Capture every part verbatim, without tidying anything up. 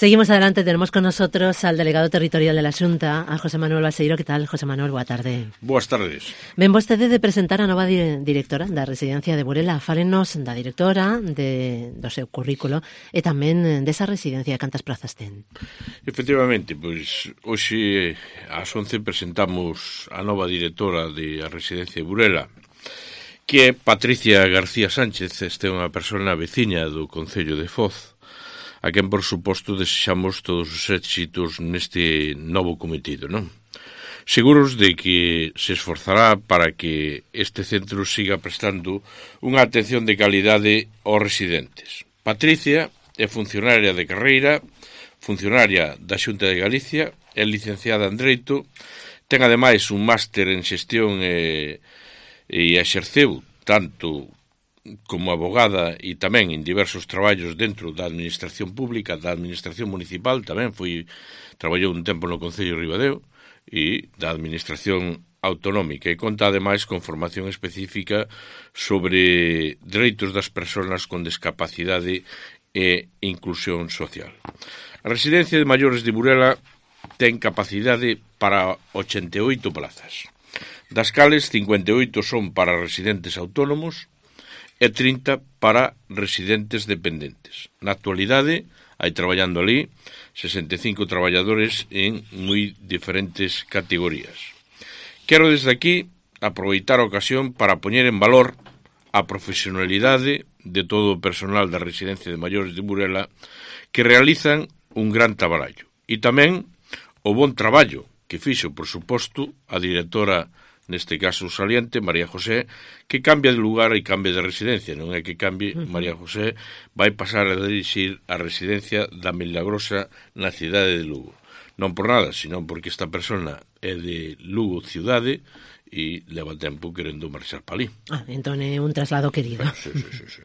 Seguimos adelante, tenemos con nosotros al delegado territorial de la Xunta, a José Manuel Balseiro. Que tal, José Manuel? Boa tarde. Boas tardes. Ven vostede de presentar a nova di- directora da residencia de Burela. Fálenos da directora, de, do seu currículo e tamén desa residencia. Cantas plazas ten? Efectivamente, pois hoxe ás once presentamos a nova directora de a residencia de Burela, que é Patricia García Sánchez. Este é unha persona veciña do Concello de Foz, a quen, por suposto, desexamos todos os éxitos neste novo cometido, non? Seguros de que se esforzará para que este centro siga prestando unha atención de calidade aos residentes. Patricia é funcionaria de carreira, funcionaria da Xunta de Galicia, é licenciada en Dereito, ten ademais un máster en xestión e, e exerceu tanto como abogada e tamén en diversos traballos dentro da administración pública, da administración municipal, tamén foi traballou un tempo no Concello de Ribadeo, e da administración autonómica, e conta ademais con formación específica sobre dereitos das persoas con discapacidade e inclusión social. A residencia de maiores de Burela ten capacidade para ochenta e oito plazas, das cales cincuenta e oito son para residentes autónomos e trinta para residentes dependentes. Na actualidade, hai traballando ali sesenta e cinco traballadores en moi diferentes categorías. Quero desde aquí aproveitar a ocasión para poñer en valor a profesionalidade de todo o personal da residencia de maiores de Burela, que realizan un gran traballo, e tamén o bon traballo que fixo, por suposto, a directora, neste caso saliente, María José, que cambia de lugar e cambia de residencia. Non é que cambie, María José vai pasar a dirixir a residencia da Milagrosa na cidade de Lugo. Non por nada, senón porque esta persona é de Lugo cidade e leva tempo querendo marchar para ali. Ah, entón é un traslado querido. Sí, sí, sí, sí.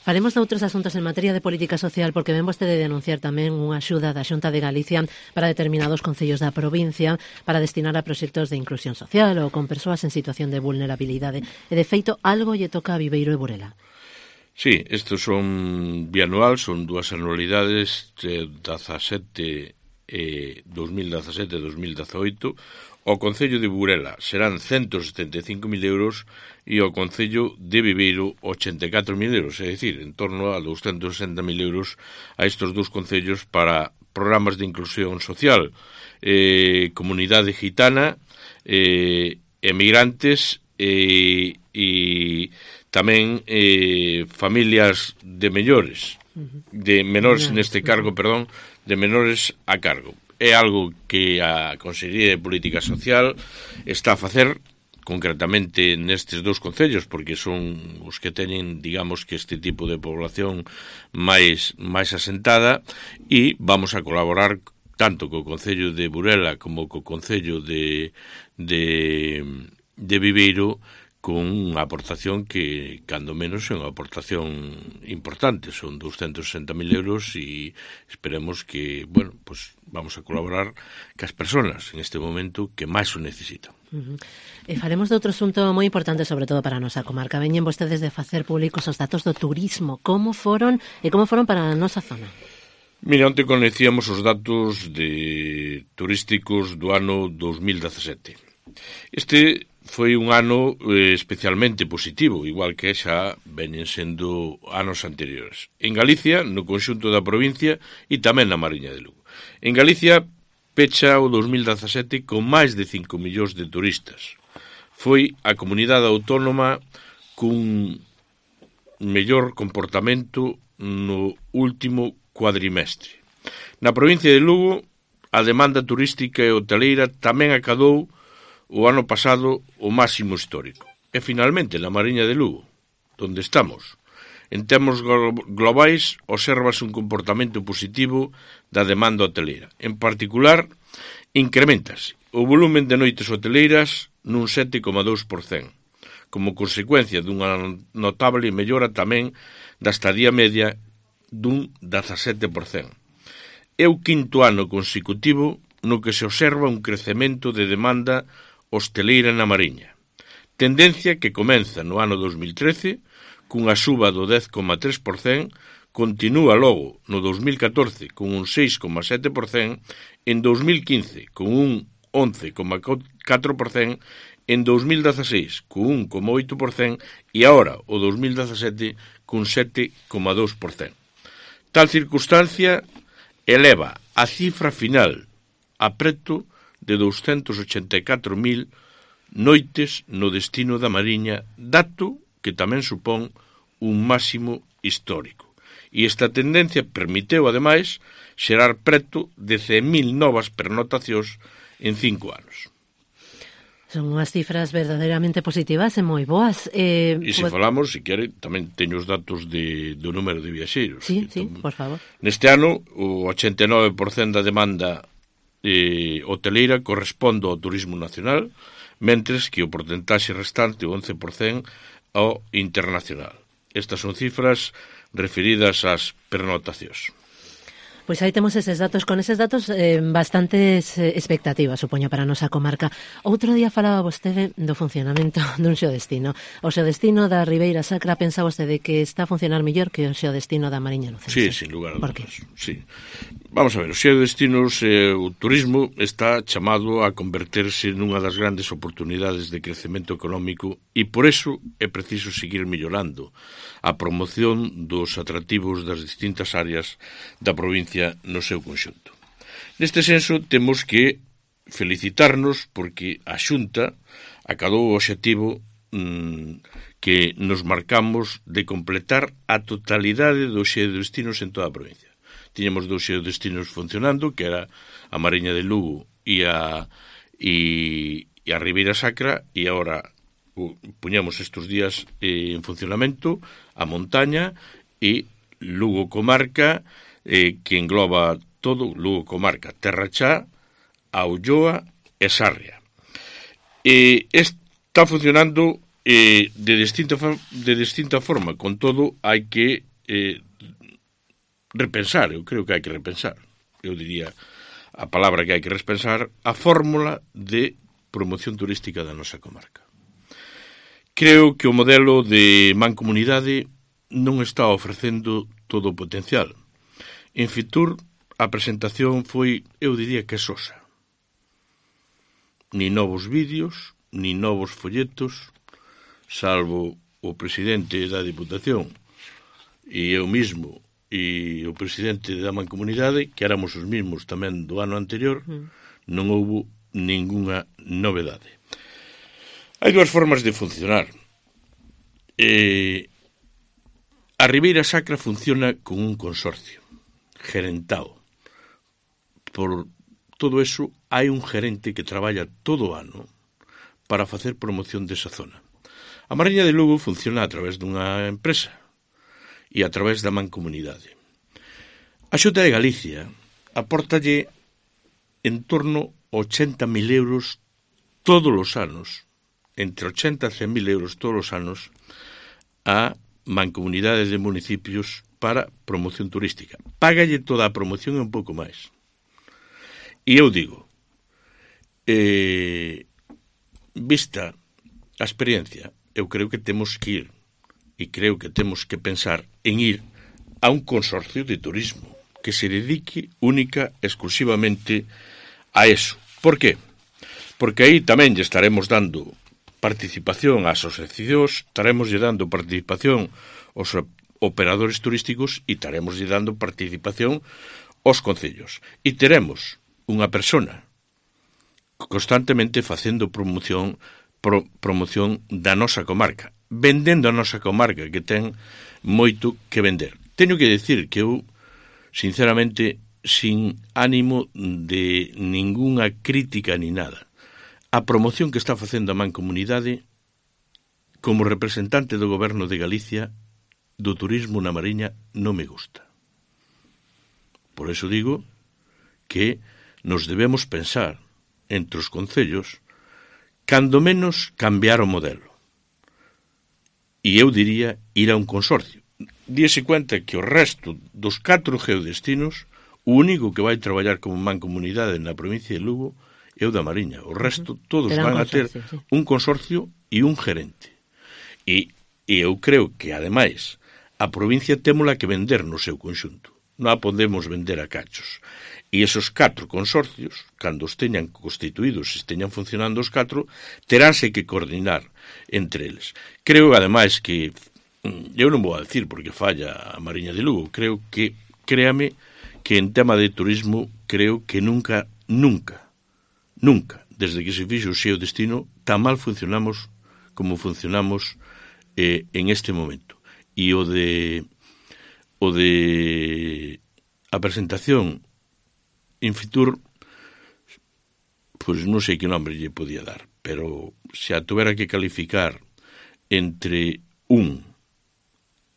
Falemos de outros asuntos en materia de política social, porque ven vostede de anunciar tamén unha axuda da Xunta de Galicia para determinados concellos da provincia para destinar a proxectos de inclusión social ou con persoas en situación de vulnerabilidade. E, de feito, algo lle toca a Viveiro e Burela. Sí, estes son bianual, son dúas anualidades de dezasete e dos mil dezasete e dos mil dezoito. O Concello de Burela serán ciento setenta e cinco mil euros e o Concello de Viveiro ochenta e catro mil euros, é dicir, en torno a doscientos sesenta mil euros a estes dous concellos para programas de inclusión social, eh, comunidade gitana, eh, emigrantes e, e tamén eh, familias de mellores, de menores neste cargo, perdón, de menores a cargo. É algo que a Consellería de Política Social está a facer concretamente nestes dous concellos, porque son os que teñen, digamos, que este tipo de población máis máis asentada, e vamos a colaborar tanto co Concello de Burela como co Concello de de de Viveiro con unha aportación que, cando menos, é unha aportación importante. Son doscientos sesenta mil euros e esperemos que, bueno, pues vamos a colaborar cas persoas en este momento que máis o necesitan. Uh-huh. E faremos de outro asunto moi importante, sobre todo para a nosa comarca. Veñen vostedes de facer públicos os datos do turismo. Como foron e como foron para a nosa zona? Mira, onte conhecíamos os datos de turísticos do ano dos mil dezasete. Este foi un ano eh, especialmente positivo, igual que xa veñen sendo anos anteriores. En Galicia, no conxunto da provincia e tamén na Mariña de Lugo. En Galicia, pecha o dos mil dezasete con máis de cinco millóns de turistas. Foi a comunidade autónoma cun mellor comportamento no último cuadrimestre. Na provincia de Lugo, a demanda turística e hoteleira tamén acadou o ano pasado o máximo histórico. E finalmente, na Mariña de Lugo, onde estamos, en termos globais, observas un comportamento positivo da demanda hoteleira. En particular, incrementase o volumen de noites hoteleiras nun sete coma dous por cento, como consecuencia dunha notable mellora tamén da estadía media dun dezasete por cento. É o quinto ano consecutivo no que se observa un crecemento de demanda hosteleira na Mariña, tendencia que comeza no ano dos mil trece cunha suba do dez coma tres por cento continúa logo no dos mil catorce con un seis coma sete por cento, en dos mil quince con un once coma catro por cento, en dos mil dezasseis con un coma oito por cento e agora o dos mil dezasete con sete coma dos por cento. Tal circunstancia eleva a cifra final a preto de douscentos ochenta e catro mil noites no destino da Mariña, dato que tamén supón un máximo histórico. E esta tendencia permiteu, ademais, xerar preto de cen mil novas pernotacións en cinco anos. Son unhas cifras verdadeiramente positivas e moi boas. Eh, e se pues... falamos, se quere, tamén teño os datos de, do número de viaxeiros. Sí, sí, tam... por favor. Neste ano, o ochenta e nove por cento da demanda eh, hoteleira corresponde ao turismo nacional, mentres que o porcentaxe restante, o once por cento, ao internacional. Estas son cifras referidas ás pernotacións. Pois aí temos eses datos, con eses datos eh, bastantes eh, expectativas, supoño, para a nosa comarca. Outro día falaba vostede do funcionamento dun xeodestino. O xeodestino da Ribeira Sacra, pensa vostede que está a funcionar mellor que o xeodestino da Mariña Lucense? Sí, sin lugar a Por dudas. Sí. Vamos a ver, os xeodestinos, eh, o turismo está chamado a converterse nunha das grandes oportunidades de crecemento económico e por eso é preciso seguir mellorando a promoción dos atractivos das distintas áreas da provincia no seu conxunto. Neste senso, temos que felicitarnos porque a Xunta acadou o obxectivo mmm, que nos marcamos de completar a totalidade dos xeodestinos en toda a provincia. Tiñamos dous xeodestinos funcionando, que era a Mariña de Lugo e a, e, e a Ribeira Sacra, e agora puñamos estes días eh, en funcionamento a montaña e Lugo Comarca, eh, que engloba todo, Lugo Comarca, Terra Chá, a Ulloa e Sarria. Eh, está funcionando eh, de, distinta, de distinta forma, con todo hai que eh, repensar, eu creo que hai que repensar, eu diría a palabra que hai que repensar, a fórmula de promoción turística da nosa comarca. Creo que o modelo de mancomunidade non está ofrecendo todo o potencial. En Fitur, a presentación foi, eu diría que sosa. Ni novos vídeos, ni novos folletos, salvo o presidente da Diputación e eu mismo e o presidente da mancomunidade, que éramos os mismos tamén do ano anterior, non houbo ningunha novedade. Hai dúas formas de funcionar. Eh, a Ribeira Sacra funciona con un consorcio gerentado. Por todo eso, hai un gerente que traballa todo o ano para facer promoción desa zona. A Mariña de Lugo funciona a través dunha empresa e a través da mancomunidade. A Xunta de Galicia apórtalle en torno a ochenta mil euros todos os anos, entre ochenta e cen mil euros todos os anos, a mancomunidades de municipios para promoción turística. Págalle toda a promoción e un pouco máis. E eu digo, eh, vista a experiencia, eu creo que temos que ir, e creo que temos que pensar en ir a un consorcio de turismo que se dedique única e exclusivamente a eso. Por qué? Porque aí tamén lle estaremos dando participación ás asociacións, estaremos lle dando participación aos operadores turísticos e estaremos lle dando participación aos concellos. E teremos unha persona constantemente facendo promoción pro, promoción da nosa comarca, vendendo a nosa comarca, que ten moito que vender. Teño que decir que eu, sinceramente, sin ánimo de ningunha crítica ni nada, a promoción que está facendo a Mancomunidade como representante do Goberno de Galicia do turismo na Mariña non me gusta. Por eso digo que nos debemos pensar entre os concellos cando menos cambiar o modelo. E eu diría ir a un consorcio. Díese cuenta que o resto dos catro geodestinos, o único que vai traballar como mancomunidade na provincia de Lugo é o da Mariña. O resto todos van a ter un consorcio e un gerente. E, e eu creo que, ademais, a provincia témola que vender no seu conxunto. Non a podemos vender a cachos. E esos catro consorcios, cando os teñan constituídos, se teñan funcionando os catro, teránse que coordinar entre eles. Creo, ademais, que eu non vou a decir porque falla a Mariña de Lugo, creo que, créame, que en tema de turismo, creo que nunca, nunca, nunca, desde que se fixo o Xeo Destino, tan mal funcionamos como funcionamos eh, en este momento. E o de o de a presentación en Fitur, pois non sei que nombre lle podía dar, pero se a tuvera que calificar entre un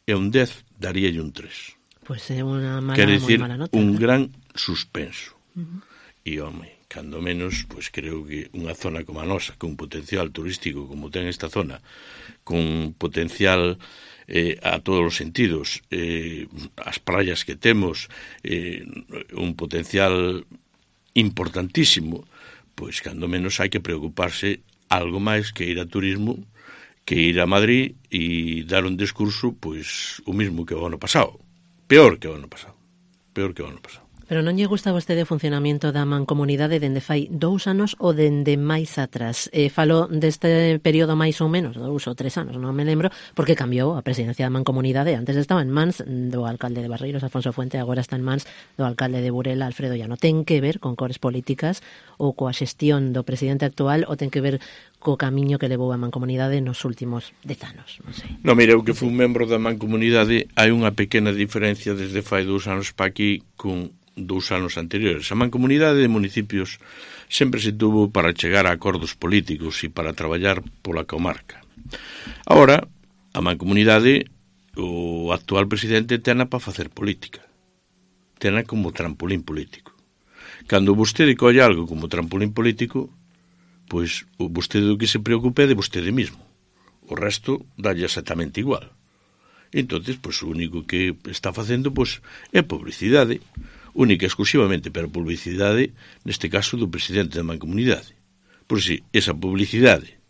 e un dez, daríalle un tres. Pois é unha mala, quer decir, moi mala nota. Un gran suspenso. Uh-huh. E, home, cando menos, pois creo que unha zona como a nosa, con potencial turístico como ten esta zona, con potencial eh, a todos os sentidos, eh, as praias que temos, eh, un potencial importantísimo, pois cando menos hai que preocuparse algo máis que ir a turismo, que ir a Madrid e dar un discurso, pois, o mismo que o ano pasado. Peor que o ano pasado. Peor que o ano pasado. Pero non lle gusta a vostede o funcionamento da mancomunidade dende fai dous anos ou dende máis atrás? Eh, falo deste período máis ou menos, dous ou tres anos, non me lembro, porque cambiou a presidencia da mancomunidade. Antes estaba en mans do alcalde de Barreiros, Alfonso Fuente, agora está en mans do alcalde de Burela, Alfredo Llano. Ten que ver con cores políticas ou coa xestión do presidente actual ou ten que ver co camiño que levou a mancomunidade nos últimos dez anos? Non sei. Non, mire, eu que fui un membro da mancomunidade, hai unha pequena diferencia desde fai dous anos para aquí con dous anos anteriores. A mancomunidade de municipios sempre se tuvo para chegar a acordos políticos e para traballar pola comarca. Ahora, a mancomunidade, o actual presidente tena para facer política. Tena como trampolín político. Cando vostede colle algo como trampolín político, pois o vostede o que se preocupe é de vostede mismo. O resto dalle exactamente igual. Entonces, pois o único que está facendo pois é publicidade, única e exclusivamente, pero publicidade, neste caso, do presidente da mancomunidade. Por si esa publicidade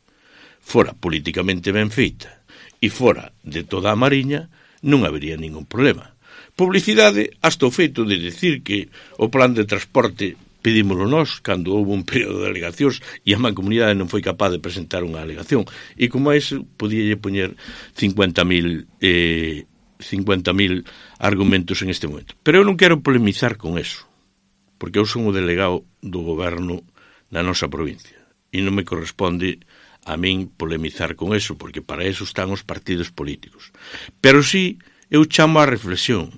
fora políticamente ben feita e fora de toda a Mariña, non habería ningún problema. Publicidade hasta o feito de decir que o plan de transporte pedímolo nós cando houve un período de alegacións e a mancomunidade non foi capaz de presentar unha alegación. E como a iso, podíalle poñer cincuenta mil eh, cincuenta mil argumentos en este momento. Pero eu non quero polemizar con eso, porque eu son o delegado do goberno na nosa provincia e non me corresponde a min polemizar con eso, porque para eso están os partidos políticos. Pero sí, eu chamo a reflexión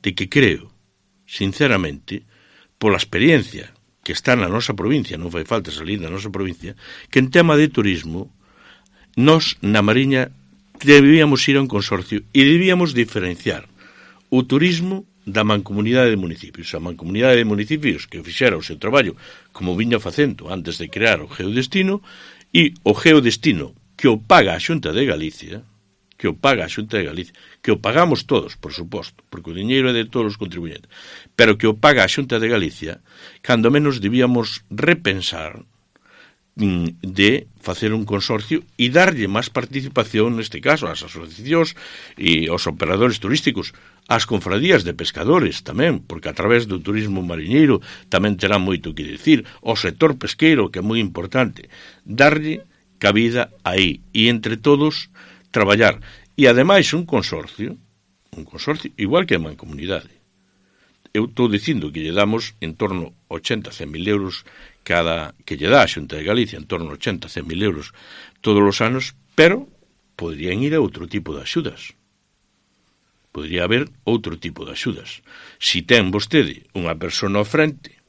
de que creo, sinceramente, pola experiencia que está na nosa provincia, non fai falta salir da nosa provincia, que en tema de turismo, nós na Mariña debíamos ir a un consorcio e debíamos diferenciar o turismo da mancomunidade de municipios. A mancomunidade de municipios que fixera o seu traballo como viña facendo antes de crear o Geodestino e o Geodestino que o paga a Xunta de Galicia, que o paga a Xunta de Galicia, que o pagamos todos, por suposto, porque o diñeiro é de todos os contribuyentes, pero que o paga a Xunta de Galicia, cando menos debíamos repensar de facer un consorcio e darlle máis participación, neste caso, ás asociacións e aos operadores turísticos, ás confradías de pescadores tamén, porque a través do turismo mariñeiro tamén terá moito que dicir, ao sector pesqueiro, que é moi importante, darlle cabida aí e entre todos traballar. E ademais un consorcio, un consorcio igual que a mancomunidade. Eu estou dicindo que lle damos en torno a ochenta a cen mil euros cada que lle dá a Xunta de Galicia, en torno a ochenta a cen mil euros todos os anos, pero poderían ir a outro tipo de axudas. Podría haber outro tipo de axudas. Si ten vostede unha persona ao frente,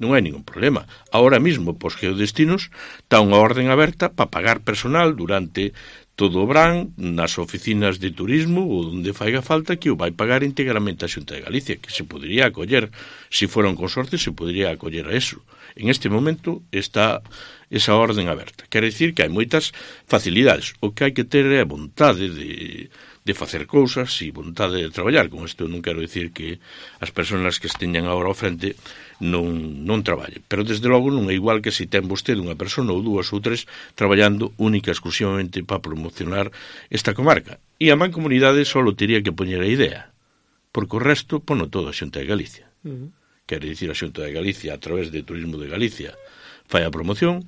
non hai ningún problema. Ahora mismo, pos Geodestinos, está unha orden aberta para pagar personal durante todo o verán nas oficinas de turismo ou onde faiga falta, que o vai pagar íntegramente a Xunta de Galicia, que se podría acoller, se fora un consorcio, se podría acoller a eso. En este momento está esa orden aberta. Quere dicir que hai moitas facilidades. O que hai que ter é a vontade de, de facer cousas e vontade de traballar. Con isto non quero dicir que as persoas que esteñan agora ao frente non, non traballen, pero desde logo non é igual que se ten vostede unha persona ou dúas ou tres traballando única exclusivamente para promocionar esta comarca, e a Mancomunidade só teria que poñer a idea, porque o resto pono todo a Xunta de Galicia. Uh-huh. Quere dicir, a Xunta de Galicia, a través de Turismo de Galicia, fai a promoción.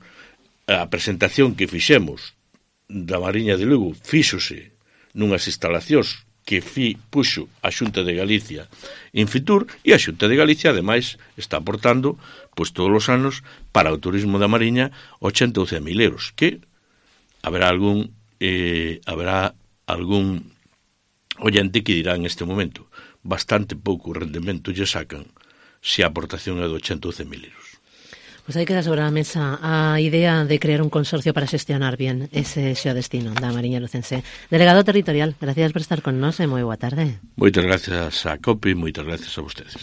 A presentación que fixemos da Mariña de Lugo fíxose nunhas instalacións que fi, puxo a Xunta de Galicia en Fitur, e a Xunta de Galicia, ademais, está aportando, pois todos os anos, para o turismo da Mariña, ochenta ou cen mil euros, que haberá algún eh, haberá algún oyente que dirá en este momento, bastante pouco rendemento lle sacan se a aportación é de ochenta ou cen mil euros. Pois aí queda sobre a mesa a idea de crear un consorcio para xestionar bien ese xeodestino da Mariña Lucense. Delegado territorial, gracias por estar con nós e moi boa tarde. Moitas gracias a COPE e moitas gracias a vostedes.